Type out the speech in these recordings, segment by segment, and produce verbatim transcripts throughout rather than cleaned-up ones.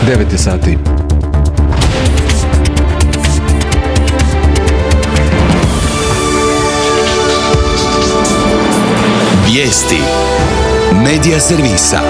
devet je sati. Vijesti Medija servisa.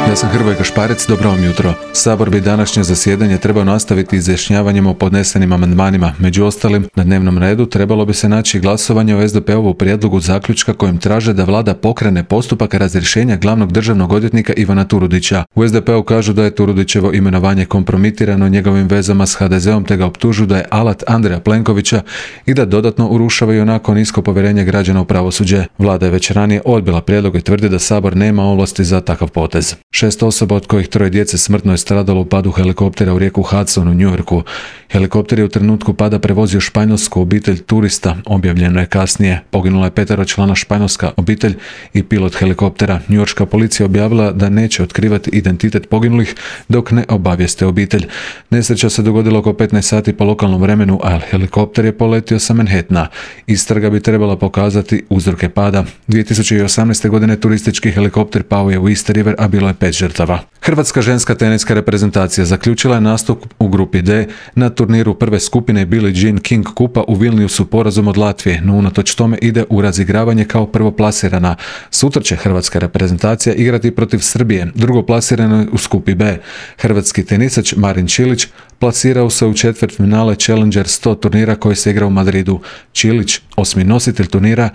Ja sam Hrvoje Gašparec, dobro vam jutro. Sabor bi današnje zasjedanje trebao nastaviti izjašnjavanjem o podnesenim amandmanima. Među ostalim, na dnevnom redu trebalo bi se naći glasovanje o es de pe ovu prijedlogu zaključka kojim traže da vlada pokrene postupak razrješenja glavnog državnog odvjetnika Ivana Turudića. U es de pe u kažu da je Turudićevo imenovanje kompromitirano njegovim vezama s ha de zom te ga optužuju da je alat Andreja Plenkovića i da dodatno urušava i onako nisko povjerenje građana u pravosuđe. Vlada je već ranije odbila prijedlog i tvrdi da Sabor nema ovlasti za takav potez. Šest osoba, od kojih troje djece, smrtno je stradalo u padu helikoptera u rijeku Hudson u New Yorku. Helikopter je u trenutku pada prevozio španjolsku obitelj turista, objavljeno je kasnije. Poginula je peteročlana španjolska obitelj i pilot helikoptera. Njujorška policija objavila da neće otkrivati identitet poginulih dok ne obavijeste obitelj. Nesreća se dogodila oko petnaest sati po lokalnom vremenu, a helikopter je poletio sa Manhattana. Istraga bi trebala pokazati uzroke pada. dvije tisuće osamnaeste. godine turistički helikopter pao je u East River, a bilo je pet žrtava. Hrvatska ženska teniska reprezentacija zaključila je nastup u grupi D na turniru prve skupine Billie Jean King kupa u Vilniusu porazom od Latvije, no unatoč tome ide u razigravanje kao prvoplasirana. Sutra će hrvatska reprezentacija igrati protiv Srbije, drugoplasirano u skupi B. Hrvatski tenisač Marin Čilić plasirao se u četvrtfinale Challenger sto turnira koji se igra u Madridu. Čilić, osmi nositelj turnira,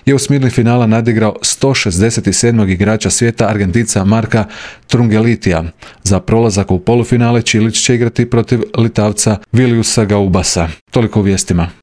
je u osmini finala nadigrao sto šezdeset sedmog igrača svijeta, Argentinca Marka Trungelitija. Za prolazak u polufinale Čilić će igrati protiv Litavca Viliusa Gaubasa. Toliko u vijestima.